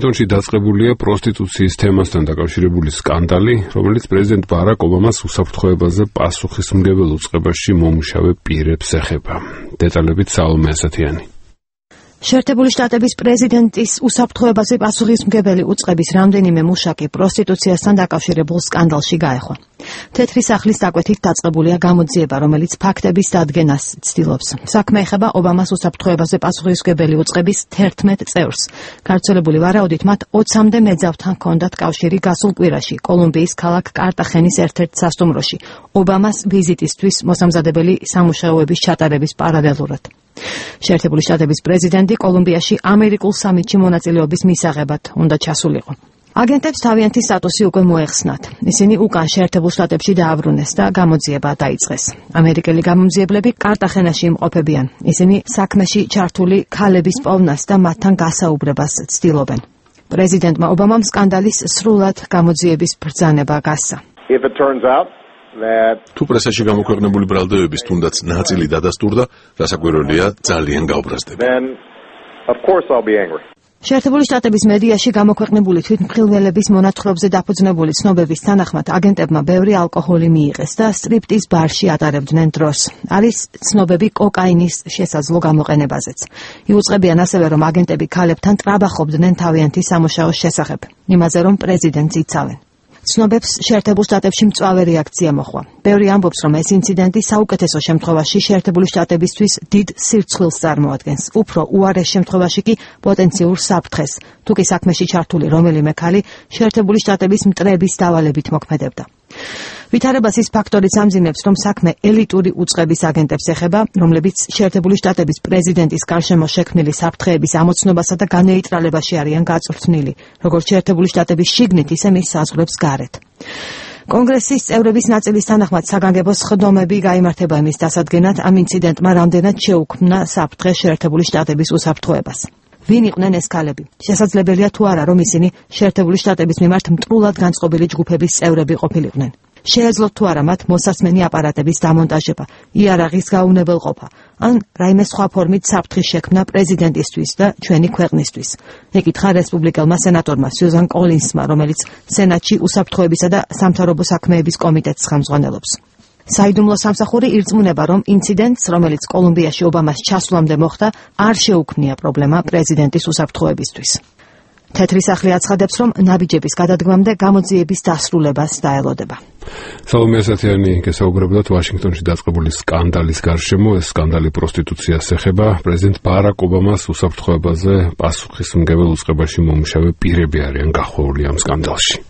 ვაშინგტონში დაწყებულია პროსტიტუციის თემასთან დაკავშირებული სკანდალი, რომელიც პრეზიდენტ ბარაკ ობამას უსაფრთხოებაზე პასუხისმგებელ უწყებაში მომუშავე პირებს ეხება. დეტალებით საოლმე ასათიანი. შეერთებული შტატების პრეზიდენტის უსაფრთხოებაზე პასუხისმგებელი უწყების რამდენიმე მუშაკი პროსტიტუციასთან დაკავშირებულ სკანდალში გაეხვა. თეთრი სახლის დაკვეთით დაწყებულია გამოძიება, რომელიც ფაქტების დადგენას ცდილობს. საქმე ეხება ობამას უსაფრთხოებაზე პასუხისმგებელი უწყების 11 წევრს. გავრცელებული ვარაუდით მათ 20-მდე მეძავთან ჰქონდათ კავშირი გასულ კვირაში კოლუმბიის ქალაქ კარტახენის ერთ-ერთ სასტუმროში ობამას ვიზიტისთვის მოსამზადებელი სამუშაოების ჩატარების პარალელურად. შეერთებული შტატების პრეზიდენტი კოლუმბიაში ამერიკულ სამიტში მონაწილეობის მისაღებად უნდა ჩასულიყო. აგენტებს თავიანთი სტატუსი უკვე მოეხსნათ. ისინი უკან შეერთებულ შტატებში დააბრუნეს და გამოძიება დაიწყეს. ამერიკელი გამომძიებლები კარტახენაში იმყოფებიან. ისინი საქმეში ჩართული ქალების პოვნას და მათთან გასაუბრებას ცდილობენ. პრეზიდენტმა ობამამ სკანდალის სრულად გამოძიების ბრძანება გასცა. თუ პრესაში გამოქვეყნებული ბრალდებების თუნდაც ნაწილი დადასტურდა, რასაკვირველია, ძალიან გავბრაზდება. შეერთებული შტატების მედიაში გამოქვეყნებული თვითმხილველების მონათხრობზე დაფუძნებული ცნობების თანახმად აგენტებმა ბევრი ალკოჰოლი მიიღეს და სტრიპტიზ ბარში ატარებდნენ დროს. არის ცნობები კოკაინის შესაძლო გამოყენებაზეც. იუწყებიან ასევე, რომ აგენტები ქალებთან ტრაბახობდნენ თავიანთი სამუშაოს შესახებ, იმაზე რომ პრეზიდენტს იცავენ. ცნობებს შეერთებულ შტატებში მწვავე რეაქცია მოჰყვა. ბევრი ამბობს, რომ ეს ინციდენტი საუკეთესო შემთხვევაში შეერთებული შტატებისთვის დიდ სირცხვილს წარმოადგენს. უფრო უარეს შემთხვევაში კი პოტენციურ საფრთხეს, თუ კი საქმეში ჩართული რომელიმე ქალი შეერთებული შტატების მტრების დავალებით მოქმედებდა. ვითარებას ის ფაქტორიც ამძიმებს, რომ საქმე ელიტური უწყების აგენტებს ეხება, რომლებიც შეერთებული შტატების პრეზიდენტის გარშემო შექმნილი საფრთხეების ამოცნობასა და განეიტრალებაში არიან გაწვრთნილი, როგორც შეერთებული შტატების შიგნით, ისე მის საზღვრებს გარეთ. კონგრესის წევრების ნაწილის თანახმად საგანგებო სხდომები გაიმართება იმის დასადგენად, ამ ინციდენტმა რამდენად შეუქმნა საფრთხე შეერთებული შტატების უსაფრთხოებას. ვინ იყვნენ ეს ქალები? შესაძლებელია თუ არა, რომ ისინი შეერთებული შტატების მიმართ მტრულად განწყობილი ჯგუფების წევრები ყოფილიყვნენ. შეეძლოთ თუ არა მათ მოსასმენი აპარატების დამონტაჟება, იარაღის გაუნებელყოფა, ან რაიმე სხვა ფორმით საფრთხის შექმნა პრეზიდენტისთვის და ჩვენი ქვეყნისთვის. ეკითხა რესპუბლიკელმა სენატორმა სიუზან კოლინსმა, რომელიც სენატში უსაფრთხოებისა და სამთავრობო საქმეების კომიტეტს ხელმძღვანელობს. საიდუმლო სამსახური ირწმუნება, რომ ინციდენტს, რომელიც კოლუმბიაში ობამას ჩასვლამდე მოხდა, არ შეუქმნია პრობლემა პრეზიდენტის უსაფრთხოებისთვის. თეთრი სახლი აცხადებს, რომ ნაბიჯების გადადგმამდე გამოძიების დასრულებას დაელოდება. საოლმე ასათიანი გესაუბრებდათ ვაშინგტონში დაწყებული სკანდალის გარშემო. ეს სკანდალი პროსტიტუციას ეხება. პრეზიდენტ ბარაკ ობამას უსაფრთხოებაზე პასუხისმგებელ უწყებაში მომუშავე პირები არიან გახვეული ამ სკანდალში.